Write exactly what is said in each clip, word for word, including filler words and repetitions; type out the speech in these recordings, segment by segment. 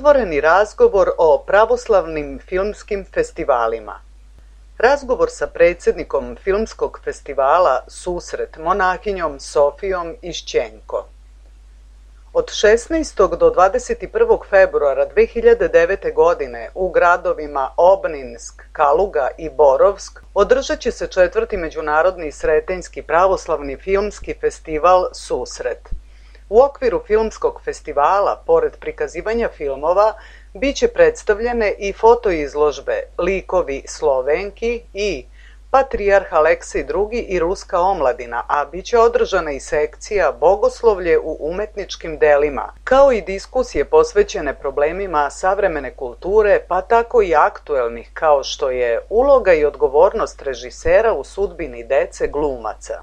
Otvoreni razgovor o pravoslavnim filmskim festivalima. Razgovor sa predsjednikom filmskog festivala Susret monahinjom Sofijom Išćenko. Od šesnaestog do dvadeset prvog februara dve hiljade devete. godine u gradovima Obninsk, Kaluga i Borovsk održat će se četvrti međunarodni Sretenjski pravoslavni filmski festival Susret. U okviru filmskog festivala, pored prikazivanja filmova, bit će predstavljene i fotoizložbe Likovi Slovenki i Patrijarh Aleksej drugi i Ruska omladina, a bit će održana i sekcija Bogoslovlje u umetničkim delima, kao i diskusije posvećene problemima savremene kulture, pa tako i aktuelnih, kao što je uloga i odgovornost režisera u sudbini dece glumaca.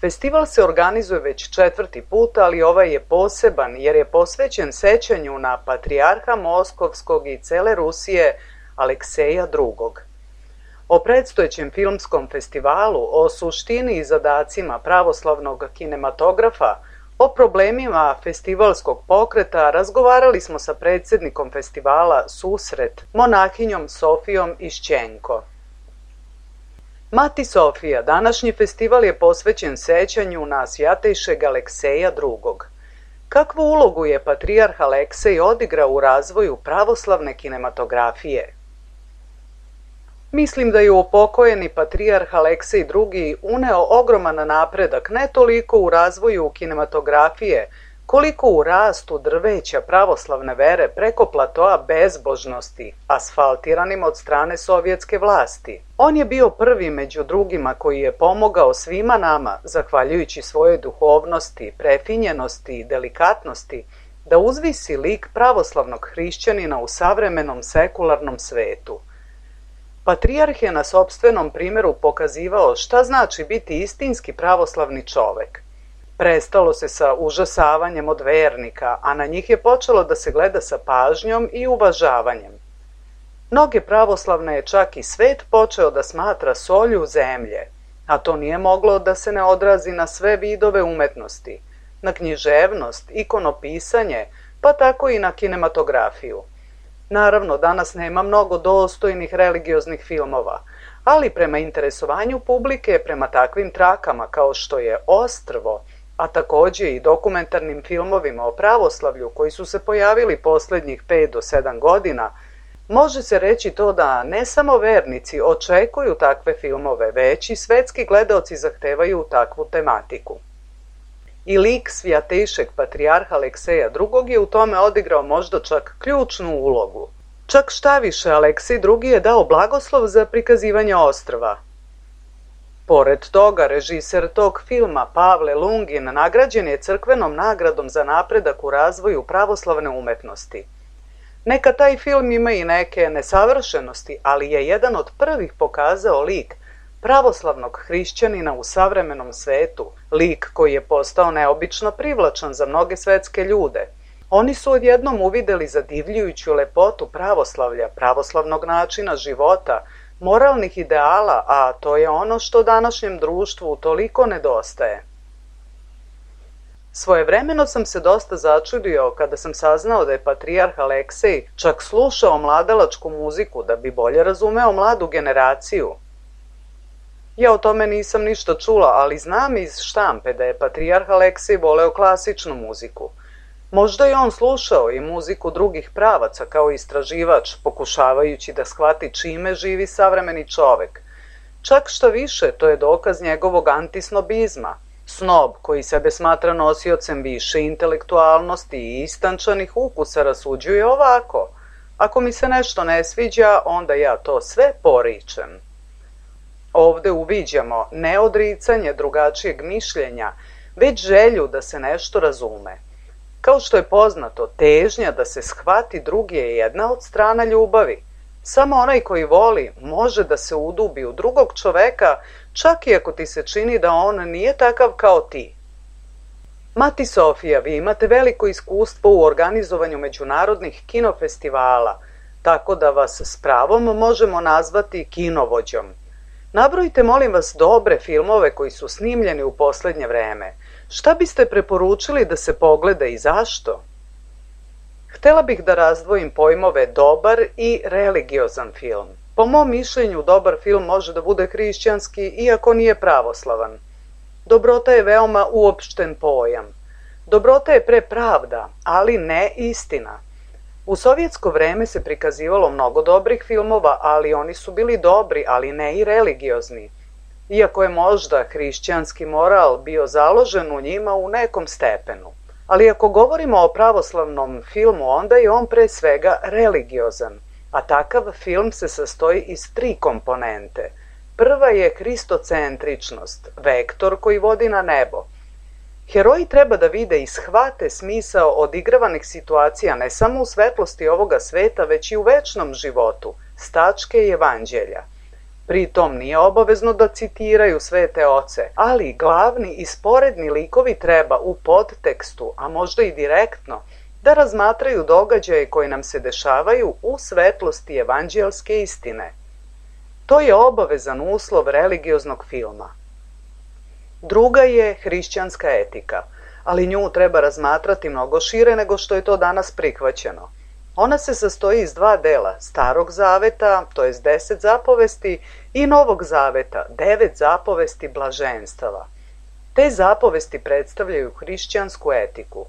Festival se organizuje već četvrti put, ali ovaj je poseban jer je posvećen sećanju na patrijarha Moskovskog i cele Rusije Alekseja drugog. O predstojećem filmskom festivalu, o suštini i zadacima pravoslavnog kinematografa, o problemima festivalskog pokreta razgovarali smo sa predsjednikom festivala Susret, monahinjom Sofijom Išćenko. Mati Sofija, današnji festival je posvećen sećanju na svjatejšeg Alekseja drugog. Kakvu ulogu je patrijarh Aleksej odigrao u razvoju pravoslavne kinematografije? Mislim da je upokojeni patrijarh Aleksej drugi uneo ogroman napredak ne toliko u razvoju kinematografije, koliko u rastu drveća pravoslavne vere preko platoa bezbožnosti, asfaltiranim od strane sovjetske vlasti. On je bio prvi među drugima koji je pomogao svima nama, zahvaljujući svojoj duhovnosti, prefinjenosti i delikatnosti, da uzvisi lik pravoslavnog hrišćanina u savremenom sekularnom svetu. Patrijarh je na sopstvenom primjeru pokazivao šta znači biti istinski pravoslavni čovek. Prestalo se sa užasavanjem od vernika, a na njih je počelo da se gleda sa pažnjom i uvažavanjem. Mnoge pravoslavne je čak i svet počeo da smatra solju zemlje, a to nije moglo da se ne odrazi na sve vidove umetnosti, na književnost, ikonopisanje, pa tako i na kinematografiju. Naravno, danas nema mnogo dostojnih religioznih filmova, ali prema interesovanju publike, prema takvim trakama kao što je Ostrvo, a takođe i dokumentarnim filmovima o pravoslavlju koji su se pojavili poslednjih pet do sedam godina, može se reći to da ne samo vernici očekuju takve filmove, već i svetski gledaoci zahtevaju takvu tematiku. I lik svjatejšeg patrijarha Alekseja drugog je u tome odigrao možda čak ključnu ulogu. Čak šta više, Aleksej drugi je dao blagoslov za prikazivanje Ostrva. Pored toga, režiser tog filma Pavle Lungin nagrađen je crkvenom nagradom za napredak u razvoju pravoslavne umetnosti. Neka taj film ima i neke nesavršenosti, ali je jedan od prvih pokazao lik pravoslavnog hrišćanina u savremenom svetu, lik koji je postao neobično privlačan za mnoge svetske ljude. Oni su odjednom uvideli zadivljujuću lepotu pravoslavlja, pravoslavnog načina života, moralnih ideala, a to je ono što današnjem društvu toliko nedostaje. Svojevremeno sam se dosta začudio kada sam saznao da je patrijarh Aleksej čak slušao mladalačku muziku da bi bolje razumeo mladu generaciju. Ja o tome nisam ništa čula, ali znam iz štampe da je patrijarh Aleksej voleo klasičnu muziku. Možda je on slušao i muziku drugih pravaca kao istraživač, pokušavajući da shvati čime živi savremeni čovek. Čak šta više, to je dokaz njegovog antisnobizma. Snob, koji sebe smatra nosiocem više intelektualnosti i istančanih ukusa, rasuđuje ovako: ako mi se nešto ne sviđa, onda ja to sve poričem. Ovde uviđamo ne odricanje drugačijeg mišljenja, već želju da se nešto razume. Kao što je poznato, težnja da se shvati drugi je jedna od strana ljubavi. Samo onaj koji voli može da se udubi u drugog čoveka, čak i ako ti se čini da on nije takav kao ti. Mati Sofija, vi imate veliko iskustvo u organizovanju međunarodnih kinofestivala, tako da vas s pravom možemo nazvati kinovođom. Nabrojite, molim vas, dobre filmove koji su snimljeni u poslednje vreme. Šta biste preporučili da se pogleda i zašto? Htela bih da razdvojim pojmove dobar i religiozan film. Po mom mišljenju, dobar film može da bude hrišćanski, iako nije pravoslavan. Dobrota je veoma uopšten pojam. Dobrota je pre pravda, ali ne istina. U sovjetsko vreme se prikazivalo mnogo dobrih filmova, ali oni su bili dobri, ali ne i religiozni. Iako je možda hrišćanski moral bio založen u njima u nekom stepenu. Ali ako govorimo o pravoslavnom filmu, onda je on pre svega religiozan, a takav film se sastoji iz tri komponente. Prva je hristocentričnost, vektor koji vodi na nebo. Heroji treba da vide i shvate smisao odigravanih situacija ne samo u svetlosti ovoga sveta, već i u večnom životu, s tačke evanđelja. Pritom nije obavezno da citiraju svete oce, ali glavni i sporedni likovi treba u podtekstu, a možda i direktno, da razmatraju događaje koji nam se dešavaju u svetlosti evanđelske istine. To je obavezan uslov religioznog filma. Druga je hrišćanska etika, ali nju treba razmatrati mnogo šire nego što je to danas prihvaćeno. Ona se sastoji iz dva dela, Starog zaveta, to jest deset zapovesti, i Novog zaveta, devet zapovesti blaženstava. Te zapovesti predstavljaju hrišćansku etiku.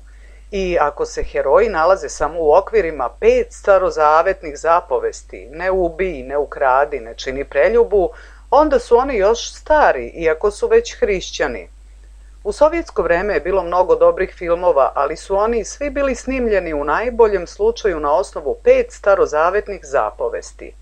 I ako se heroji nalaze samo u okvirima pet starozavetnih zapovesti, ne ubij, ne ukradi, ne čini preljubu, onda su oni još stari, iako su već hrišćani. U sovjetsko vreme je bilo mnogo dobrih filmova, ali su oni svi bili snimljeni u najboljem slučaju na osnovu pet starozavetnih zapovesti.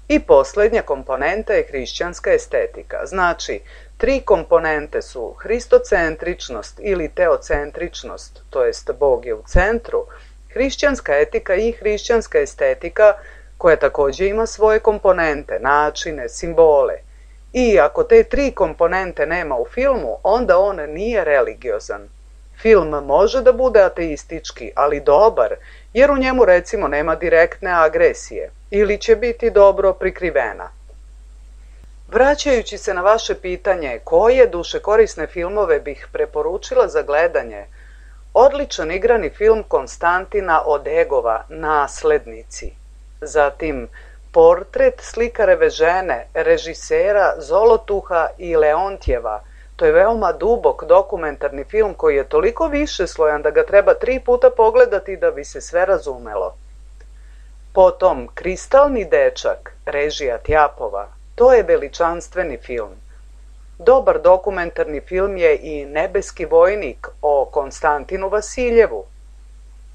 I poslednja komponenta je hrišćanska estetika. Znači, tri komponente su hristocentričnost ili teocentričnost, to jest Bog je u centru, hrišćanska etika i hrišćanska estetika, koja takođe ima svoje komponente, načine, simbole. I ako te tri komponente nema u filmu, onda on nije religiozan. Film može da bude ateistički, ali dobar, jer u njemu recimo nema direktne agresije, ili će biti dobro prikrivena. Vraćajući se na vaše pitanje koje dušekorisne filmove bih preporučila za gledanje, odličan igrani film Konstantina Odegova Naslednici. Zatim Portret slikareve žene, režisera Zolotuha i Leontjeva. To je veoma dubok dokumentarni film koji je toliko višeslojan da ga treba tri puta pogledati da bi se sve razumelo. Potom Kristalni dečak, režija Tjapova. To je veličanstveni film. Dobar dokumentarni film je i Nebeski vojnik o Konstantinu Vasiljevu.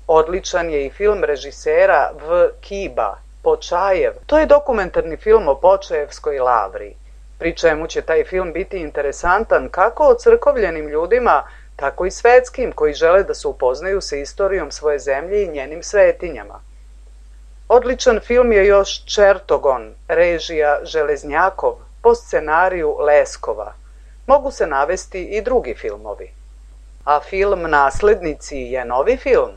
Odličan je i film režisera V. Kiba, Počajev. To je dokumentarni film o Počajevskoj lavri, pri čemu će taj film biti interesantan kako o crkovljenim ljudima, tako i svetskim koji žele da se upoznaju sa istorijom svoje zemlje i njenim svetinjama. Odličan film je još Čertogon, režija Železnjakov, po scenariju Leskova. Mogu se navesti i drugi filmovi. A film Naslednici je novi film?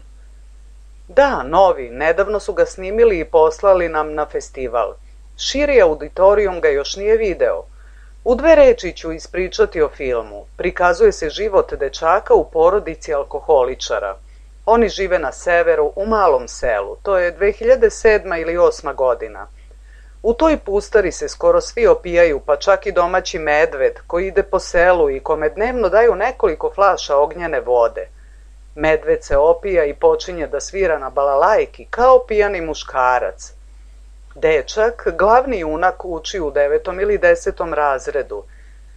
Da, novi, nedavno su ga snimili i poslali nam na festival. Širi auditorijum ga još nije video. U dve reči ću ispričati o filmu. Prikazuje se život dečaka u porodici alkoholičara. Oni žive na severu, u malom selu. To je dve hiljade sedma ili osma godina. U toj pustari se skoro svi opijaju, pa čak i domaći medved koji ide po selu i kome dnevno daju nekoliko flaša ognjene vode. Medved se opija i počinje da svira na balalajki kao pijani muškarac. Dečak, glavni junak, uči u devetom ili desetom razredu.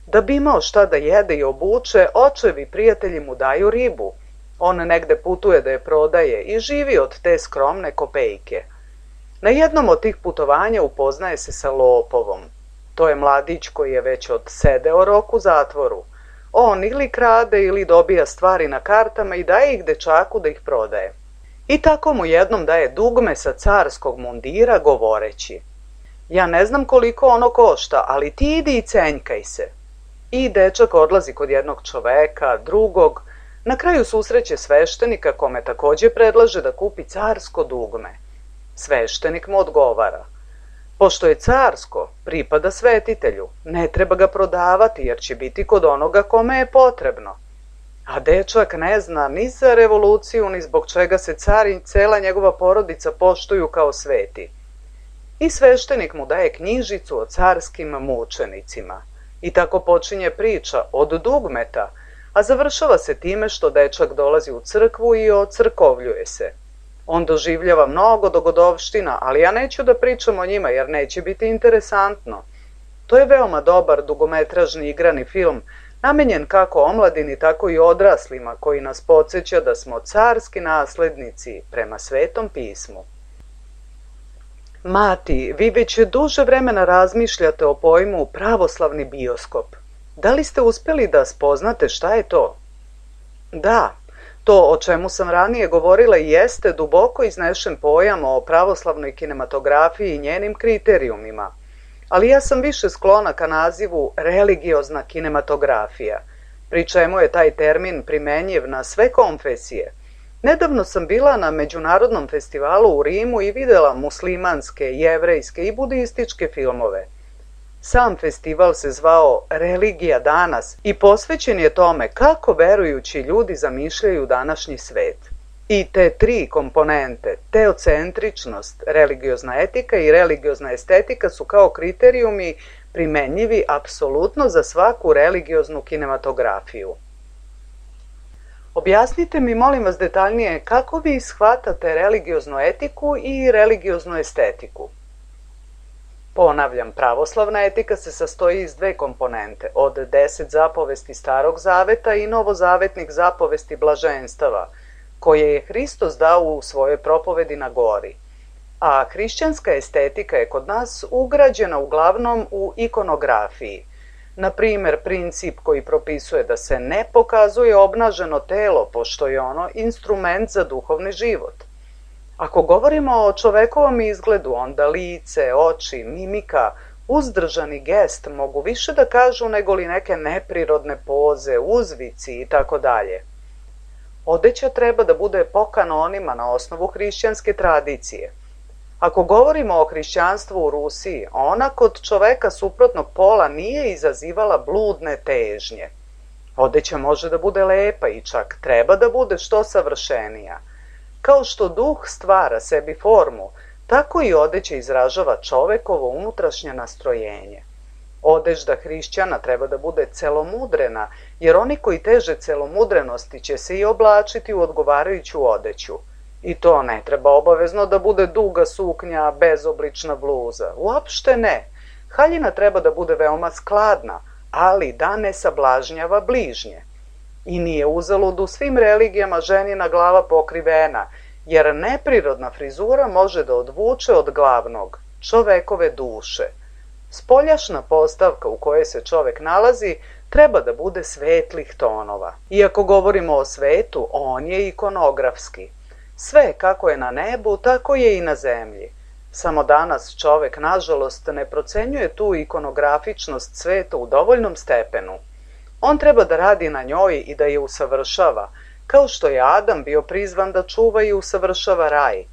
Da bi imao šta da jede i obuče, očevi prijatelji mu daju ribu. On negde putuje da je prodaje i živi od te skromne kopejke. Na jednom od tih putovanja upoznaje se sa lopovom. To je mladić koji je već odsedeo rok u zatvoru. On ili krade ili dobija stvari na kartama i daje ih dečaku da ih prodaje. I tako mu jednom daje dugme sa carskog mundira govoreći: ja ne znam koliko ono košta, ali ti idi i cenjkaj se. I dečak odlazi kod jednog čoveka, drugog, na kraju susreće sveštenika kome takođe predlaže da kupi carsko dugme. Sveštenik mu odgovara: pošto je carsko, pripada svetitelju, ne treba ga prodavati jer će biti kod onoga kome je potrebno. A dečak ne zna ni za revoluciju, ni zbog čega se car i cela njegova porodica poštuju kao sveti. I sveštenik mu daje knjižicu o carskim mučenicima. I tako počinje priča od dugmeta, a završava se time što dečak dolazi u crkvu i ocrkovljuje se. On doživljava mnogo dogodovština, ali ja neću da pričam o njima jer neće biti interesantno. To je veoma dobar dugometražni igrani film, namenjen kako omladini, tako i odraslima, koji nas podsjeća da smo carski naslednici prema Svetom pismu. Mati, vi već duže vremena razmišljate o pojmu pravoslavni bioskop. Da li ste uspjeli da spoznate šta je to? Da, to o čemu sam ranije govorila jeste duboko iznešen pojam o pravoslavnoj kinematografiji i njenim kriterijumima, ali ja sam više sklona ka nazivu religiozna kinematografija, pri čemu je taj termin primenjiv na sve konfesije. Nedavno sam bila na međunarodnom festivalu u Rimu i videla muslimanske, jevrejske i budističke filmove. Sam festival se zvao Religija danas i posvećen je tome kako verujući ljudi zamišljaju današnji svet. I te tri komponente, teocentričnost, religiozna etika i religiozna estetika su kao kriterijumi primenjivi apsolutno za svaku religioznu kinematografiju. Objasnite mi, molim vas, detaljnije kako vi shvatate religioznu etiku i religioznu estetiku. Ponavljam, pravoslavna etika se sastoji iz dve komponente, od deset zapovesti Starog zaveta i novozavetnih zapovesti blaženstava, koje je Hristos dao u svojoj propovedi na gori. A hrišćanska estetika je kod nas ugrađena uglavnom u ikonografiji. Na primjer, princip koji propisuje da se ne pokazuje obnaženo telo, pošto je ono instrument za duhovni život. Ako govorimo o čovekovom izgledu, onda lice, oči, mimika, uzdržani gest mogu više da kažu nego li neke neprirodne poze, uzvici i tako dalje. Odeća treba da bude po kanonima na osnovu hrišćanske tradicije. Ako govorimo o hrišćanstvu u Rusiji, ona kod čoveka suprotnog pola nije izazivala bludne težnje. Odeća može da bude lepa i čak treba da bude što savršenija. Kao što duh stvara sebi formu, tako i odeća izražava čovekovo unutrašnje nastrojenje. Odežda hrišćana treba da bude celomudrena, jer oni koji teže celomudrenosti će se i oblačiti u odgovarajuću odeću. I to ne treba obavezno da bude duga suknja, bezoblična bluza. Uopšte ne. Haljina treba da bude veoma skladna, ali da ne sablažnjava bližnje. I nije uzalud u svim religijama ženina glava pokrivena, jer neprirodna frizura može da odvuče od glavnog, čovekove duše. Spoljašna postavka u kojoj se čovek nalazi treba da bude svetlih tonova. Iako govorimo o svetu, on je ikonografski. Sve kako je na nebu, tako je i na zemlji. Samo danas čovek, nažalost, ne procenjuje tu ikonografičnost sveta u dovoljnom stepenu. On treba da radi na njoj i da je usavršava, kao što je Adam bio prizvan da čuva i usavršava raj.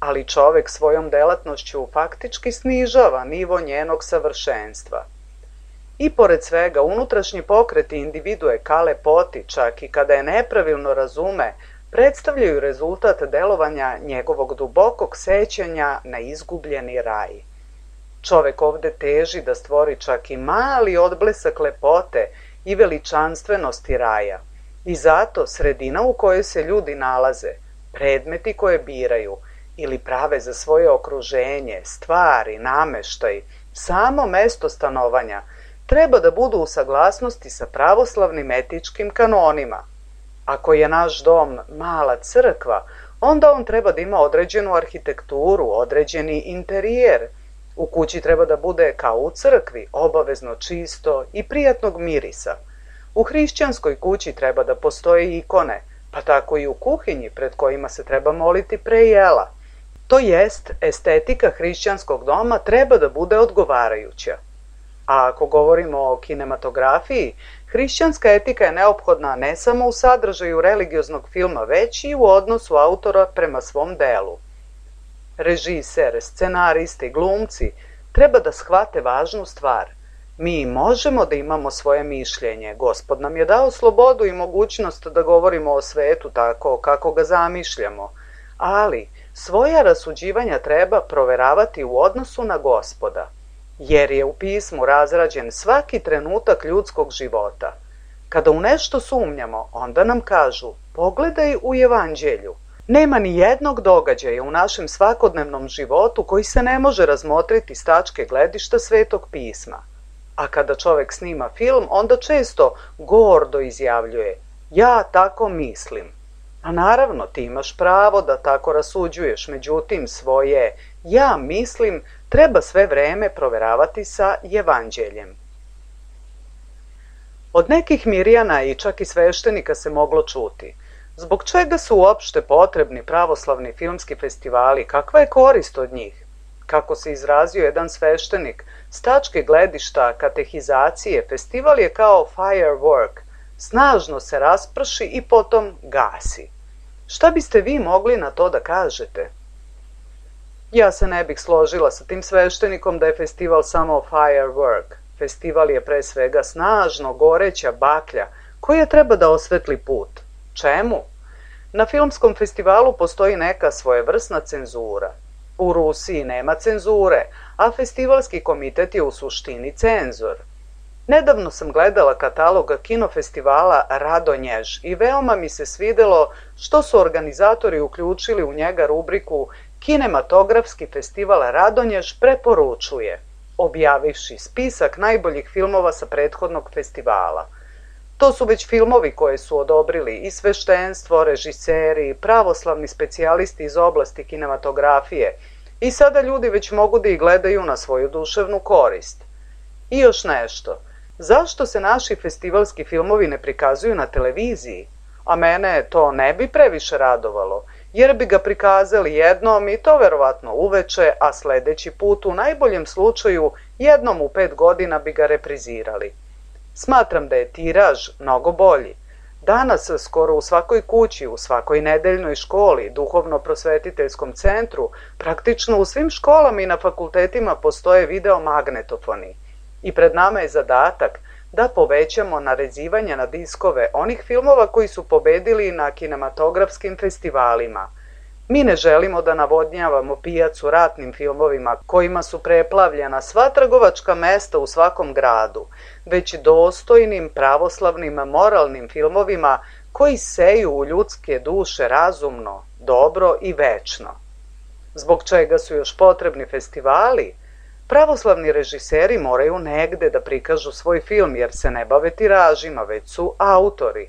Ali čovek svojom delatnošću faktički snižava nivo njenog savršenstva. I pored svega, unutrašnji pokreti individue ka lepoti, čak i kada je nepravilno razume, predstavljaju rezultat delovanja njegovog dubokog sećanja na izgubljeni raj. Čovek ovde teži da stvori čak i mali odblesak lepote i veličanstvenosti raja. I zato sredina u kojoj se ljudi nalaze, predmeti koje biraju ili prave za svoje okruženje, stvari, nameštaj, samo mesto stanovanja, treba da budu u saglasnosti sa pravoslavnim etičkim kanonima. Ako je naš dom mala crkva, onda on treba da ima određenu arhitekturu, određeni interijer. U kući treba da bude kao u crkvi, obavezno čisto i prijatnog mirisa. U hrišćanskoj kući treba da postoje ikone, pa tako i u kuhinji pred kojima se treba moliti pre jela. To jest, estetika hrišćanskog doma treba da bude odgovarajuća. A ako govorimo o kinematografiji, hrišćanska etika je neophodna ne samo u sadržaju religioznog filma, već i u odnosu autora prema svom delu. Režiser, scenaristi, glumci treba da shvate važnu stvar. Mi možemo da imamo svoje mišljenje, Gospod nam je dao slobodu i mogućnost da govorimo o svetu tako kako ga zamišljamo, ali svoja rasuđivanja treba proveravati u odnosu na Gospoda, jer je u pismu razrađen svaki trenutak ljudskog života. Kada u nešto sumnjamo, onda nam kažu, pogledaj u Evanđelju. Nema ni jednog događaja u našem svakodnevnom životu koji se ne može razmotriti s tačke gledišta Svetog pisma. A kada čovek snima film, onda često gordo izjavljuje, ja tako mislim. A naravno, ti imaš pravo da tako rasuđuješ, međutim svoje ja mislim treba sve vreme proveravati sa Evanđeljem. Od nekih Mirjana i čak i sveštenika se moglo čuti. Zbog čega su uopšte potrebni pravoslavni filmski festivali? Kakva je korist od njih? Kako se izrazio jedan sveštenik, s tačke gledišta katehizacije, festival je kao firework, snažno se rasprši i potom gasi. Šta biste vi mogli na to da kažete? Ja se ne bih složila sa tim sveštenikom da je festival samo firework. Festival je pre svega snažno goreća baklja koja treba da osvetli put. Čemu? Na filmskom festivalu postoji neka svojevrsna cenzura. U Rusiji nema cenzure, a festivalski komitet je u suštini cenzor. Nedavno sam gledala katalog kinofestivala Radonjež i veoma mi se svidelo što su organizatori uključili u njega rubriku Kinematografski festival Radonjež preporučuje, objavivši spisak najboljih filmova sa prethodnog festivala. To su već filmovi koje su odobrili i sveštenstvo, režiseri, pravoslavni specijalisti iz oblasti kinematografije i sada ljudi već mogu da ih gledaju na svoju duševnu korist. I još nešto. Zašto se naši festivalski filmovi ne prikazuju na televiziji? A mene to ne bi previše radovalo, jer bi ga prikazali jednom i to verovatno uveče, a sledeći put u najboljem slučaju jednom u pet godina bi ga reprizirali. Smatram da je tiraž mnogo bolji. Danas skoro u svakoj kući, u svakoj nedeljnoj školi, duhovno-prosvetiteljskom centru, praktično u svim školama i na fakultetima postoje videomagnetofoni. I pred nama je zadatak da povećamo narezivanje na diskove onih filmova koji su pobedili na kinematografskim festivalima. Mi ne želimo da navodnjavamo pijacu ratnim filmovima kojima su preplavljena sva trgovačka mesta u svakom gradu, već dostojnim, pravoslavnim, moralnim filmovima koji seju u ljudske duše razumno, dobro i večno. Zbog čega su još potrebni festivali? Pravoslavni režiseri moraju negde da prikažu svoj film jer se ne bave tiražima, već su autori.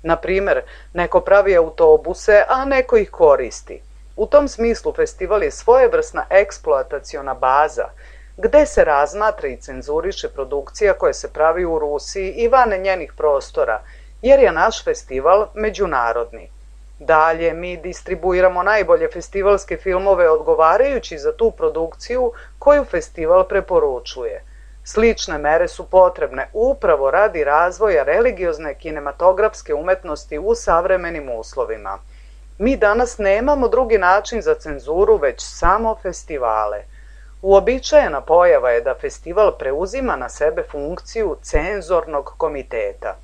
Na primer, neko pravi autobuse, a neko ih koristi. U tom smislu festival je svojevrsna eksploataciona baza, gde se razmatra i cenzuriše produkcija koja se pravi u Rusiji i van njenih prostora, jer je naš festival međunarodni. Dalje, mi distribuiramo najbolje festivalske filmove odgovarajući za tu produkciju koju festival preporučuje. Slične mere su potrebne upravo radi razvoja religiozne kinematografske umetnosti u savremenim uslovima. Mi danas nemamo drugi način za cenzuru, već samo festivale. Uobičajena pojava je da festival preuzima na sebe funkciju cenzornog komiteta.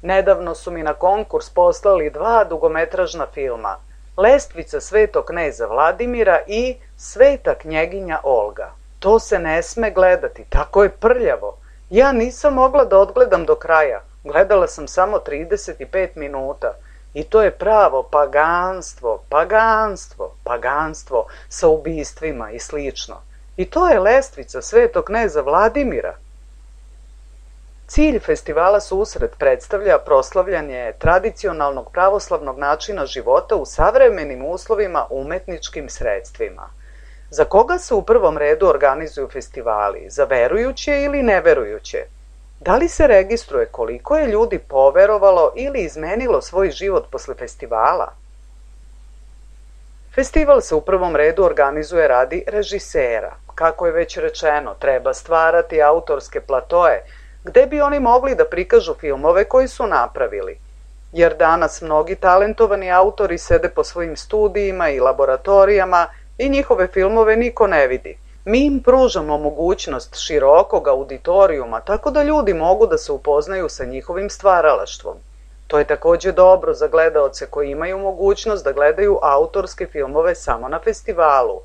Nedavno su mi na konkurs poslali dva dugometražna filma, Lestvica svetog kneza Vladimira i Sveta knjeginja Olga. To se ne sme gledati, tako je prljavo. Ja nisam mogla da odgledam do kraja, gledala sam samo trideset pet minuta. I to je pravo paganstvo, paganstvo, paganstvo sa ubistvima i slično. I to je Lestvica svetog kneza Vladimira. Cilj festivala Susret predstavlja proslavljanje tradicionalnog pravoslavnog načina života u savremenim uslovima umetničkim sredstvima. Za koga se u prvom redu organizuju festivali? Za verujuće ili neverujuće? Da li se registruje koliko je ljudi poverovalo ili izmenilo svoj život posle festivala? Festival se u prvom redu organizuje radi režisera. Kako je već rečeno, treba stvarati autorske platoe, gde bi oni mogli da prikažu filmove koji su napravili. Jer danas mnogi talentovani autori sede po svojim studijima i laboratorijama i njihove filmove niko ne vidi. Mi im pružamo mogućnost širokog auditorijuma, tako da ljudi mogu da se upoznaju sa njihovim stvaralaštvom. To je takođe dobro za gledaoce koji imaju mogućnost da gledaju autorske filmove samo na festivalu,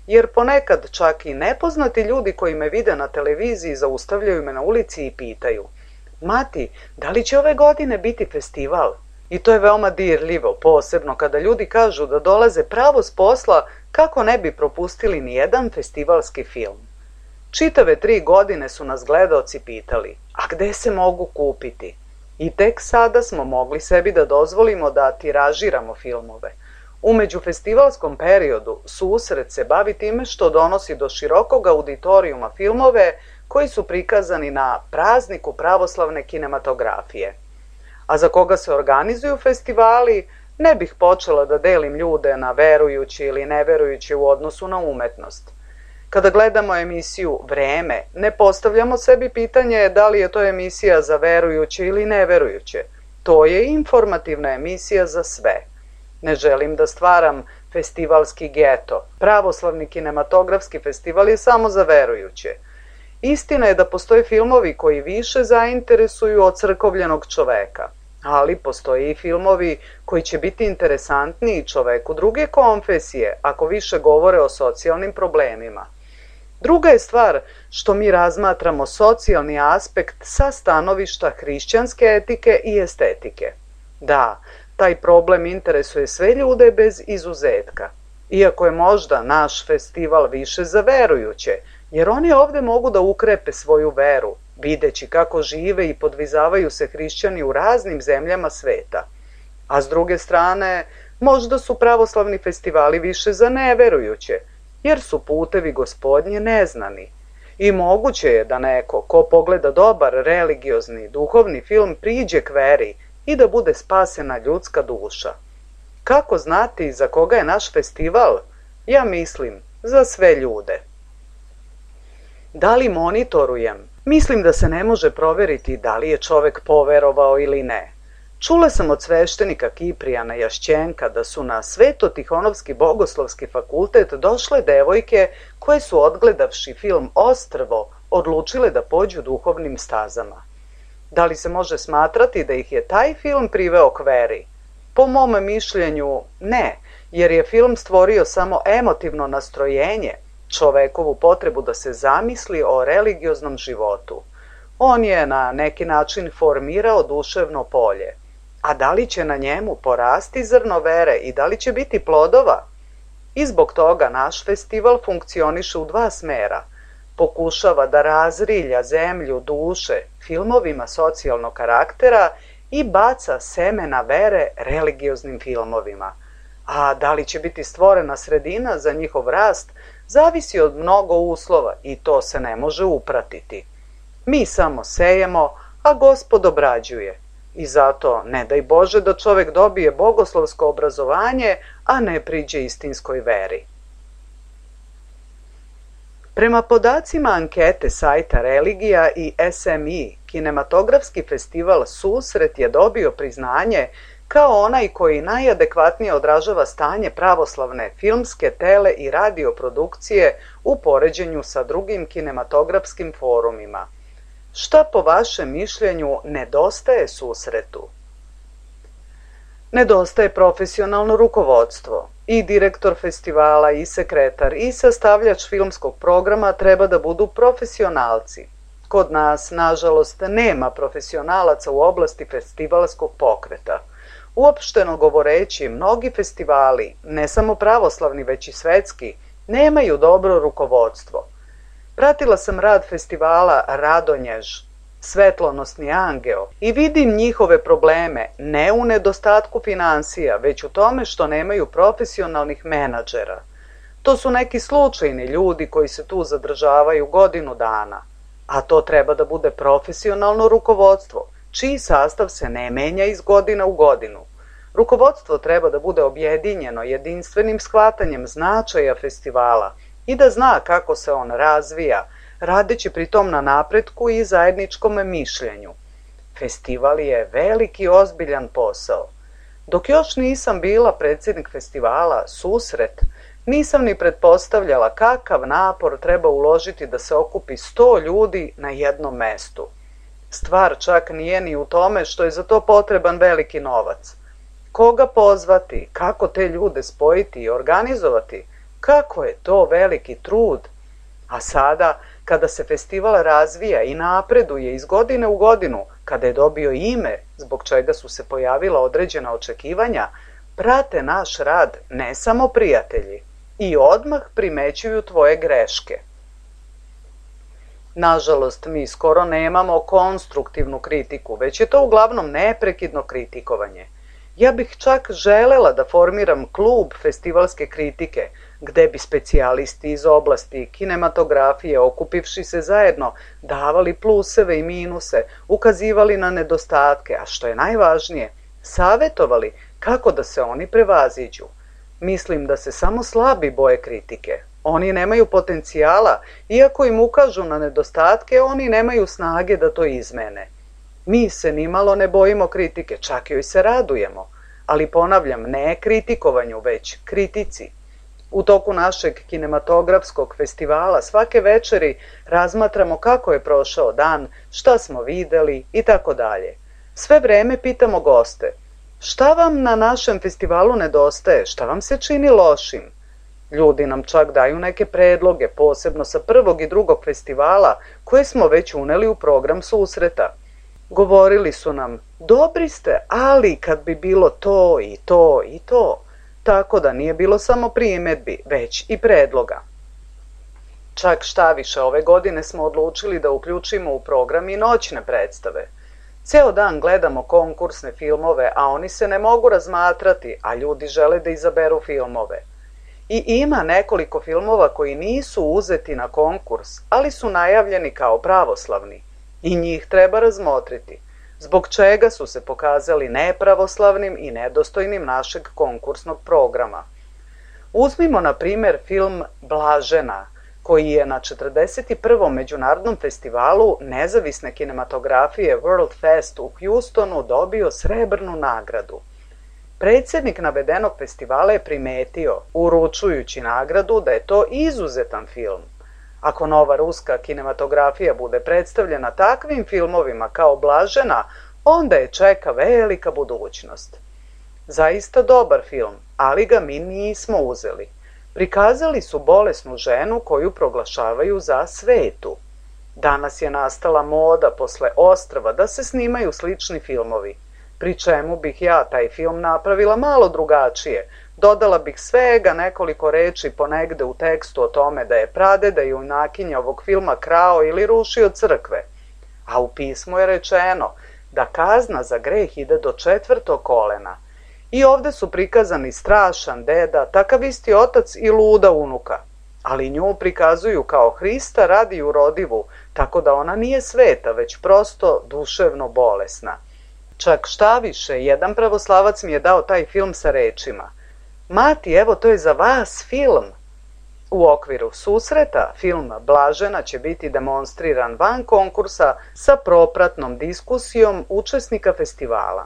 jer ponekad čak i nepoznati ljudi koji me vide na televiziji zaustavljaju me na ulici i pitaju: Mati, da li će ove godine biti festival? I to je veoma dirljivo, posebno kada ljudi kažu da dolaze pravo s posla kako ne bi propustili ni jedan festivalski film. Čitave tri godine su nas gledaoci pitali, a gde se mogu kupiti? I tek sada smo mogli sebi da dozvolimo da tiražiramo filmove. U međufestivalskom periodu susret se bavi time što donosi do širokog auditorijuma filmove koji su prikazani na prazniku pravoslavne kinematografije. A za koga se organizuju festivali, ne bih počela da delim ljude na verujući ili neverujući u odnosu na umetnost. Kada gledamo emisiju Vreme, ne postavljamo sebi pitanje da li je to emisija za verujuće ili neverujuće. To je informativna emisija za sve. Ne želim da stvaram festivalski geto. Pravoslavni kinematografski festival je samo za verujuće. Istina je da postoje filmovi koji više zainteresuju od crkovljenog čoveka, ali postoje i filmovi koji će biti interesantniji čoveku druge konfesije ako više govore o socijalnim problemima. Druga je stvar što mi razmatramo socijalni aspekt sa stanovišta hrišćanske etike i estetike. Da, taj problem interesuje sve ljude bez izuzetka, iako je možda naš festival više za verujuće, jer oni ovde mogu da ukrepe svoju veru, videći kako žive i podvizavaju se hrišćani u raznim zemljama sveta. A s druge strane, možda su pravoslavni festivali više za neverujuće, jer su putevi Gospodnje neznani. I moguće je da neko ko pogleda dobar religiozni, duhovni film priđe k veri i da bude spasena ljudska duša. Kako znati za koga je naš festival? Ja mislim, za sve ljude. Da li monitorujem? Mislim da se ne može proveriti da li je čovek poverovao ili ne. Čula sam od sveštenika Kiprijana Jašćenka da su na Sveto-Tihonovski bogoslovski fakultet došle devojke koje su, odgledavši film Ostrvo, odlučile da pođu duhovnim stazama. Da li se može smatrati da ih je taj film priveo k veri? Po mom mišljenju ne, jer je film stvorio samo emotivno nastrojenje, čovekovu potrebu da se zamisli o religioznom životu. On je na neki način formirao duševno polje. A da li će na njemu porasti zrno vere i da li će biti plodova? I zbog toga naš festival funkcioniše u dva smera. Pokušava da razrilja zemlju duše filmovima socijalnog karaktera i baca semena vere religioznim filmovima. A da li će biti stvorena sredina za njihov rast, zavisi od mnogo uslova i to se ne može upratiti. Mi samo sejemo, a Gospod obrađuje. I zato ne daj Bože da čovek dobije bogoslovsko obrazovanje, a ne priđe istinskoj veri. Prema podacima ankete sajta Religija i S M I, kinematografski festival Susret je dobio priznanje kao onaj koji najadekvatnije odražava stanje pravoslavne filmske, tele i radio produkcije u poređenju sa drugim kinematografskim forumima. Šta po vašem mišljenju nedostaje Susretu? Nedostaje profesionalno rukovodstvo. I direktor festivala, i sekretar, i sastavljač filmskog programa treba da budu profesionalci. Kod nas, nažalost, nema profesionalaca u oblasti festivalskog pokreta. Uopšteno govoreći, mnogi festivali, ne samo pravoslavni već i svetski, nemaju dobro rukovodstvo. Pratila sam rad festivala Radonjež, Svetlonosni angeo, i vidim njihove probleme ne u nedostatku finansija, već u tome što nemaju profesionalnih menadžera. To su neki slučajni ljudi koji se tu zadržavaju godinu dana, a to treba da bude profesionalno rukovodstvo, čiji sastav se ne menja iz godina u godinu. Rukovodstvo treba da bude objedinjeno jedinstvenim shvatanjem značaja festivala i da zna kako se on razvija, radeći pritom na napretku i zajedničkom mišljenju. Festival je veliki ozbiljan posao. Dok još nisam bila predsjednik festivala Susret, nisam ni pretpostavljala kakav napor treba uložiti da se okupi sto ljudi na jednom mestu. Stvar čak nije ni u tome što je za to potreban veliki novac. Koga pozvati, kako te ljude spojiti i organizovati, kako je to veliki trud. A sada, kada se festival razvija i napreduje iz godine u godinu, kada je dobio ime zbog čega su se pojavila određena očekivanja, prate naš rad ne samo prijatelji i odmah primećuju tvoje greške. Nažalost, mi skoro nemamo konstruktivnu kritiku, već je to uglavnom neprekidno kritikovanje. Ja bih čak želela da formiram klub festivalske kritike, gde bi specijalisti iz oblasti kinematografije, okupivši se zajedno, davali pluseve i minuse, ukazivali na nedostatke, a što je najvažnije, savetovali kako da se oni prevaziđu. Mislim da se samo slabi boje kritike. Oni nemaju potencijala, iako im ukažu na nedostatke, oni nemaju snage da to izmene. Mi se nimalo ne bojimo kritike, čak joj se radujemo, ali ponavljam, ne kritikovanju, već kritici. U toku našeg kinematografskog festivala svake večeri razmatramo kako je prošao dan, šta smo videli i tako dalje. Sve vreme pitamo goste, šta vam na našem festivalu nedostaje, šta vam se čini lošim? Ljudi nam čak daju neke predloge, posebno sa prvog i drugog festivala, koje smo već uneli u program susreta. Govorili su nam, dobri ste, ali kad bi bilo to i to i to, tako da nije bilo samo primjedbi, već i predloga. Čak šta više, ove godine smo odlučili da uključimo u program i noćne predstave. Ceo dan gledamo konkursne filmove, a oni se ne mogu razmatrati, a ljudi žele da izaberu filmove. I ima nekoliko filmova koji nisu uzeti na konkurs, ali su najavljeni kao pravoslavni. I njih treba razmotriti, zbog čega su se pokazali nepravoslavnim i nedostojnim našeg konkursnog programa. Uzmimo na primjer film Blažena, koji je na četrdeset prvom međunarodnom festivalu nezavisne kinematografije World Fest u Houstonu dobio srebrnu nagradu. Predsjednik navedenog festivala je primetio, uručujući nagradu, da je to izuzetan film. Ako nova ruska kinematografija bude predstavljena takvim filmovima kao Blažena, onda je čeka velika budućnost. Zaista dobar film, ali ga mi nismo uzeli. Prikazali su bolesnu ženu koju proglašavaju za svetu. Danas je nastala moda posle Ostrva da se snimaju slični filmovi, pri čemu bih ja taj film napravila malo drugačije. Dodala bih svega nekoliko reči ponegde u tekstu o tome da je pradeda junakinja ovog filma krao ili rušio crkve. A u pismu je rečeno da kazna za greh ide do četvrtog kolena. I ovde su prikazani strašan deda, takav isti otac i luda unuka. Ali nju prikazuju kao Hrista radi urodivu, tako da ona nije sveta, već prosto duševno bolesna. Čak šta više, jedan pravoslavac mi je dao taj film sa rečima: Mati, evo, to je za vas film. U okviru susreta film Blažena će biti demonstriran van konkursa sa propratnom diskusijom učesnika festivala.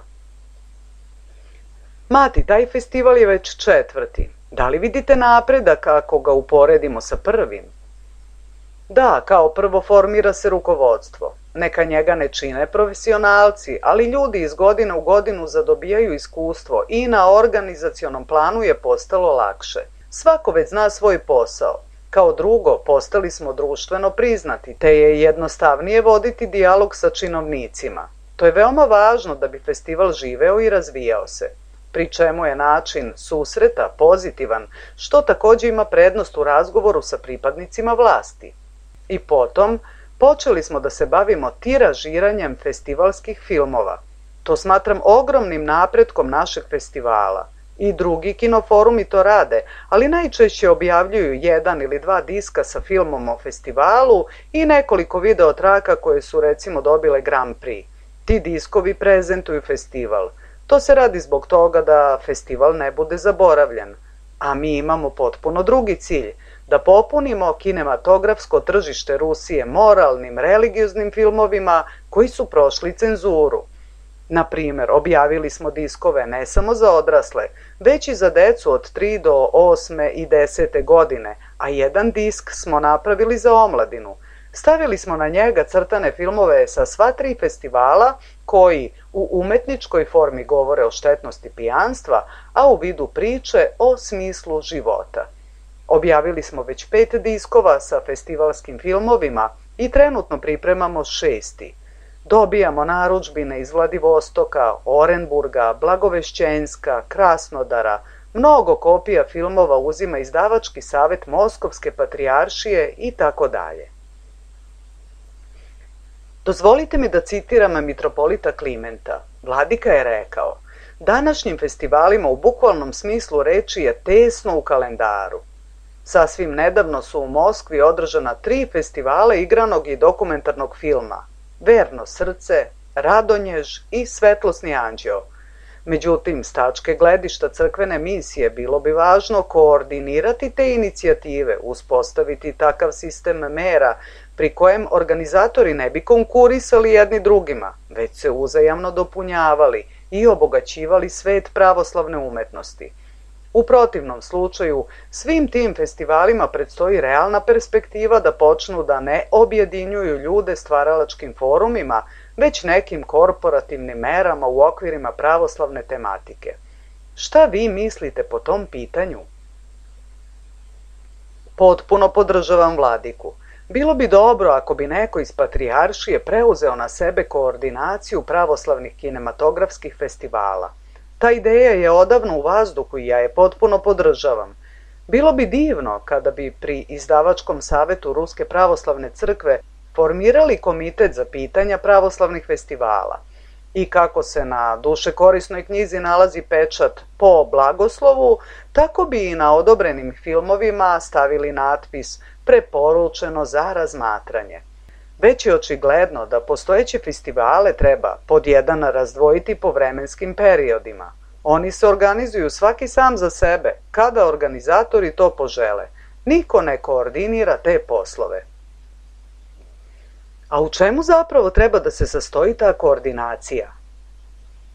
Mati, taj festival je već četvrti. Da li vidite napredak ako ga uporedimo sa prvim? Da, kao prvo formira se rukovodstvo. Neka njega ne čine profesionalci, ali ljudi iz godine u godinu zadobijaju iskustvo i na organizacionom planu je postalo lakše. Svako već zna svoj posao. Kao drugo, postali smo društveno priznati, te je jednostavnije voditi dijalog sa činovnicima. To je veoma važno da bi festival živeo i razvijao se, pri čemu je način susreta pozitivan, što takođe ima prednost u razgovoru sa pripadnicima vlasti. I potom, počeli smo da se bavimo tiražiranjem festivalskih filmova. To smatram ogromnim napretkom našeg festivala. I drugi kinoforumi to rade, ali najčešće objavljuju jedan ili dva diska sa filmom o festivalu i nekoliko videotraka koje su recimo dobile Grand Prix. Ti diskovi prezentuju festival. To se radi zbog toga da festival ne bude zaboravljen. A mi imamo potpuno drugi cilj, da popunimo kinematografsko tržište Rusije moralnim, religioznim filmovima koji su prošli cenzuru. Na primer, objavili smo diskove ne samo za odrasle, već i za decu od tri do osme i desete godine, a jedan disk smo napravili za omladinu. Stavili smo na njega crtane filmove sa sva tri festivala koji u umetničkoj formi govore o štetnosti pijanstva, a u vidu priče o smislu života. Objavili smo već pet diskova sa festivalskim filmovima i trenutno pripremamo šesti. Dobijamo narudžbine iz Vladivostoka, Orenburga, Blagovešćenska, Krasnodara, mnogo kopija filmova uzima izdavački savjet Moskovske patrijaršije i tako dalje. Dozvolite mi da citiram mitropolita Klimenta. Vladika je rekao: današnjim festivalima u bukvalnom smislu reči je tesno u kalendaru. Sasvim nedavno su u Moskvi održana tri festivala igranog i dokumentarnog filma: Verno srce, Radonjež i Svetlosni anđeo. Međutim, s tačke gledišta crkvene misije bilo bi važno koordinirati te inicijative, uspostaviti takav sistem mera pri kojem organizatori ne bi konkurisali jedni drugima, već se uzajamno dopunjavali i obogaćivali svet pravoslavne umetnosti. U protivnom slučaju, svim tim festivalima predstoji realna perspektiva da počnu da ne objedinjuju ljude stvaralačkim forumima, već nekim korporativnim merama u okvirima pravoslavne tematike. Šta vi mislite po tom pitanju? Potpuno podržavam Vladiku. Bilo bi dobro ako bi neko iz patrijaršije preuzeo na sebe koordinaciju pravoslavnih kinematografskih festivala. Ta ideja je odavno u vazduhu i ja je potpuno podržavam. Bilo bi divno kada bi pri izdavačkom savetu Ruske pravoslavne crkve formirali komitet za pitanja pravoslavnih festivala. I kako se na dušekorisnoj knjizi nalazi pečat po blagoslovu, tako bi i na odobrenim filmovima stavili natpis preporučeno za razmatranje. Već je očigledno da postojeće festivale treba pod jedan razdvojiti po vremenskim periodima. Oni se organizuju svaki sam za sebe, kada organizatori to požele. Niko ne koordinira te poslove. A u čemu zapravo treba da se sastoji ta koordinacija?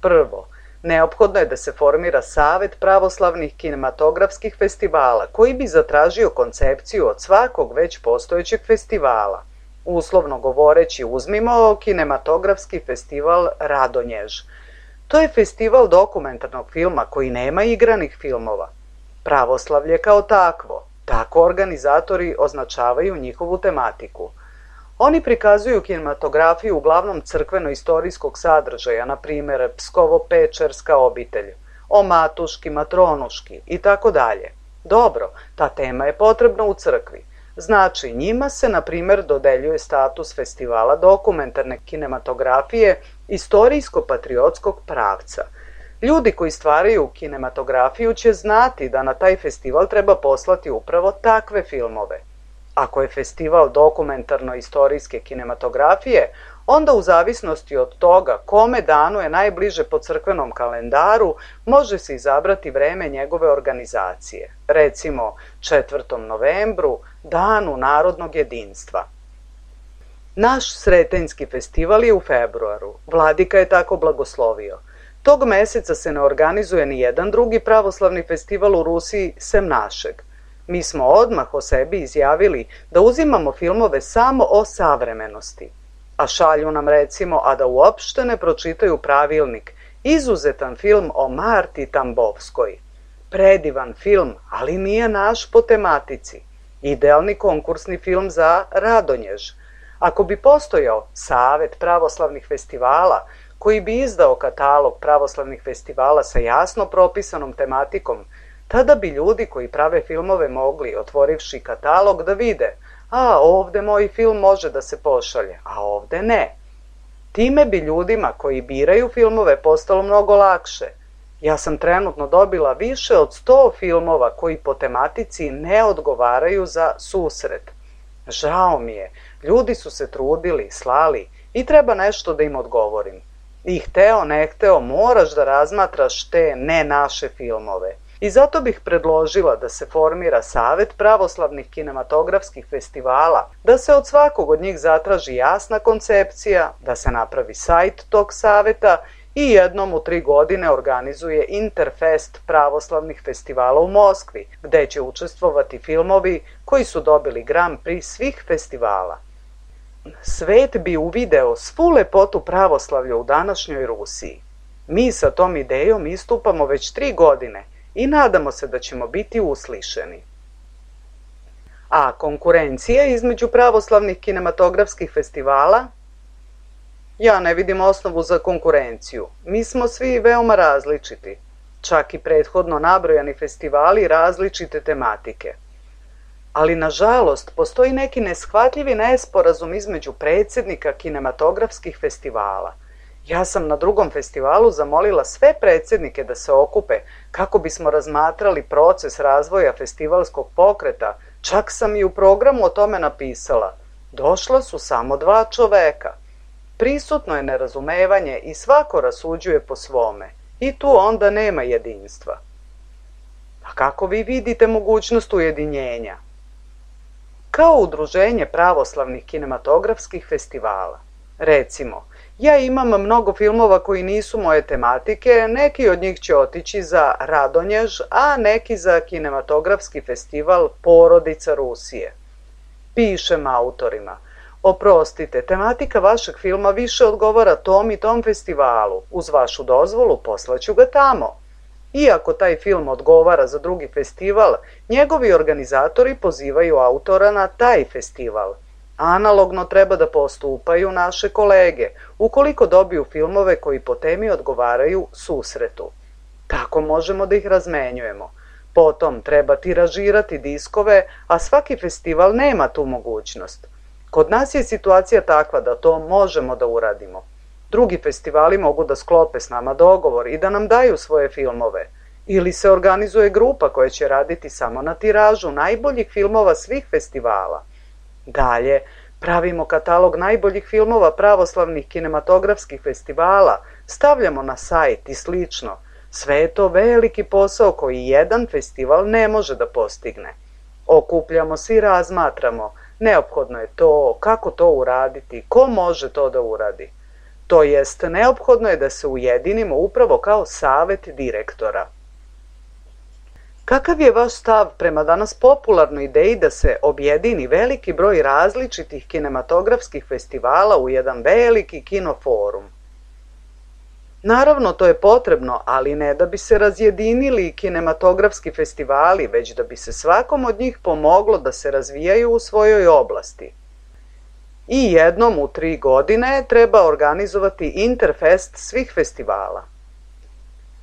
Prvo, neophodno je da se formira Savet pravoslavnih kinematografskih festivala koji bi zatražio koncepciju od svakog već postojećeg festivala. Uslovno govoreći, uzmimo kinematografski festival Radonjež. To je festival dokumentarnog filma koji nema igranih filmova. Pravoslavlje kao takvo, tako organizatori označavaju njihovu tematiku. Oni prikazuju kinematografiju uglavnom crkveno-istorijskog sadržaja, na primjer Pskovo-Pečerska obitelj, o Matuški, Matronuški i tako dalje. Dobro, ta tema je potrebna u crkvi. Znači, njima se, na primjer, dodeljuje status festivala dokumentarne kinematografije istorijsko-patriotskog pravca. Ljudi koji stvaraju kinematografiju će znati da na taj festival treba poslati upravo takve filmove. Ako je festival dokumentarno-istorijske kinematografije, onda u zavisnosti od toga kome danu je najbliže po crkvenom kalendaru, može se izabrati vreme njegove organizacije. Recimo, četvrtom novembru, danu narodnog jedinstva. Naš Sretenjski festival je u februaru. Vladika je tako blagoslovio. Tog meseca se ne organizuje ni jedan drugi pravoslavni festival u Rusiji sem našeg. Mi smo odmah o sebi izjavili da uzimamo filmove samo o savremenosti, a šalju nam recimo, a da uopšte ne pročitaju pravilnik, izuzetan film o Marti Tambovskoj. Predivan film, ali nije naš po tematici. Idealni konkursni film za Radonjež. Ako bi postojao Savet pravoslavnih festivala, koji bi izdao katalog pravoslavnih festivala sa jasno propisanom tematikom, tada bi ljudi koji prave filmove mogli, otvorivši katalog, da vide: a, ovde moj film može da se pošalje, a ovde ne. Time bi ljudima koji biraju filmove postalo mnogo lakše. Ja sam trenutno dobila više od sto filmova koji po tematici ne odgovaraju za susret. Žao mi je, ljudi su se trudili, slali i treba nešto da im odgovorim. I hteo, ne hteo, moraš da razmatraš te ne naše filmove. I zato bih predložila da se formira Savet pravoslavnih kinematografskih festivala, da se od svakog od njih zatraži jasna koncepcija, da se napravi sajt tog saveta i jednom u tri godine organizuje Interfest pravoslavnih festivala u Moskvi, gde će učestvovati filmovi koji su dobili Grand Prix svih festivala. Svet bi uvideo svu lepotu pravoslavlja u današnjoj Rusiji. Mi sa tom idejom istupamo već tri godine i nadamo se da ćemo biti uslišeni. A konkurencija između pravoslavnih kinematografskih festivala? Ja ne vidim osnovu za konkurenciju. Mi smo svi veoma različiti. Čak i prethodno nabrojani festivali različite tematike. Ali, nažalost, postoji neki neshvatljivi nesporazum između predsjednika kinematografskih festivala. Ja sam na drugom festivalu zamolila sve predsjednike da se okupe kako bismo razmatrali proces razvoja festivalskog pokreta, čak sam i u programu o tome napisala. Došla su samo dva čoveka. Prisutno je nerazumevanje i svako rasuđuje po svome. I tu onda nema jedinstva. A kako vi vidite mogućnost ujedinjenja? Kao udruženje pravoslavnih kinematografskih festivala. Recimo, ja imam mnogo filmova koji nisu moje tematike, neki od njih će otići za Radonjež, a neki za kinematografski festival Porodica Rusije. Pišem autorima. Oprostite, tematika vašeg filma više odgovara tom i tom festivalu. Uz vašu dozvolu poslaću ga tamo. Iako taj film odgovara za drugi festival, njegovi organizatori pozivaju autora na taj festival. Analogno treba da postupaju naše kolege, ukoliko dobiju filmove koji po temi odgovaraju susretu. Tako možemo da ih razmenjujemo. Potom treba tiražirati diskove, a svaki festival nema tu mogućnost. Kod nas je situacija takva da to možemo da uradimo. Drugi festivali mogu da sklope s nama dogovor i da nam daju svoje filmove. Ili se organizuje grupa koja će raditi samo na tiražu najboljih filmova svih festivala. Dalje, pravimo katalog najboljih filmova pravoslavnih kinematografskih festivala, stavljamo na sajt i slično. Sve je to veliki posao koji jedan festival ne može da postigne. Okupljamo se i razmatramo. Neophodno je to, kako to uraditi, ko može to da uradi. To jest, neophodno je da se ujedinimo upravo kao savet direktora. Kakav je vaš stav prema danas popularnoj ideji da se objedini veliki broj različitih kinematografskih festivala u jedan veliki kinoforum? Naravno, to je potrebno, ali ne da bi se razjedinili kinematografski festivali, već da bi se svakom od njih pomoglo da se razvijaju u svojoj oblasti. I jednom u tri godine treba organizovati Interfest svih festivala.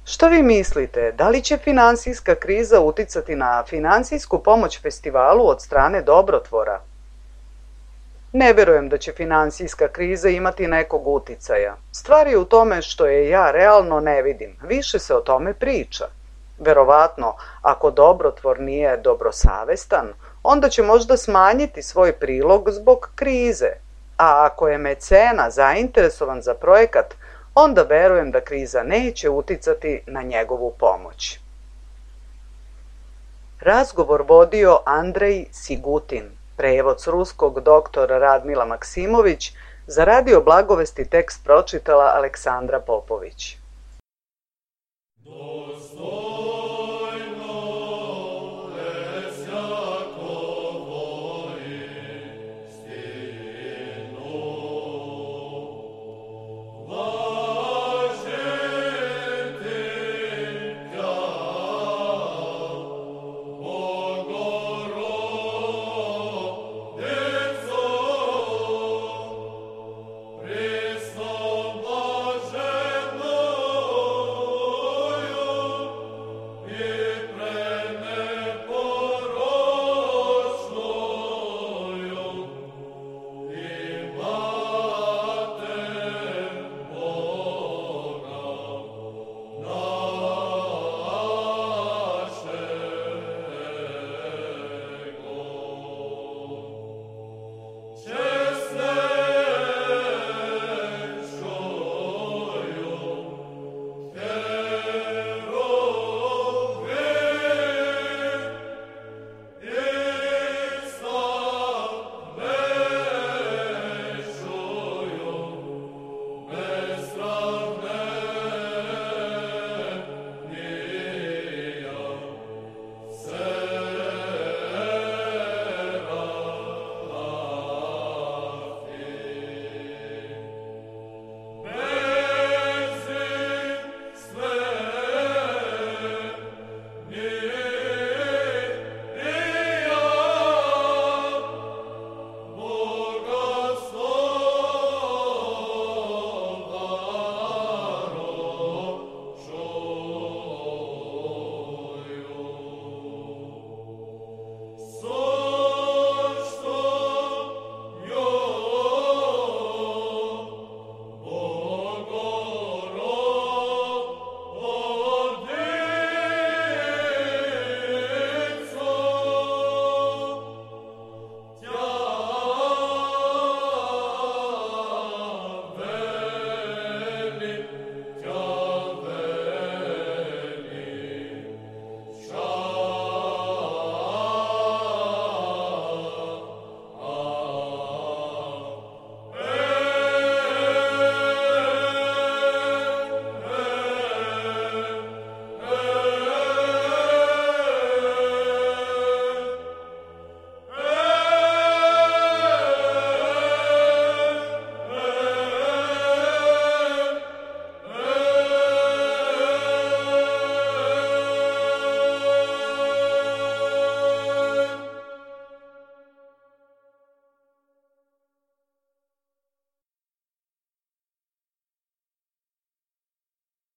Šta vi mislite, da li će finansijska kriza uticati na finansijsku pomoć festivalu od strane dobrotvora? Ne verujem da će finansijska kriza imati nekog uticaja. Stvar je u tome što je ja realno ne vidim, više se o tome priča. Verovatno, ako dobrotvor nije dobrosavestan, onda će možda smanjiti svoj prilog zbog krize, a ako je mecena zainteresovan za projekat, onda verujem da kriza neće uticati na njegovu pomoć. Razgovor vodio Andrej Sigutin, prevod s ruskog doktor Radmila Maksimović, za Radio Blagovesti tekst pročitala Aleksandra Popović.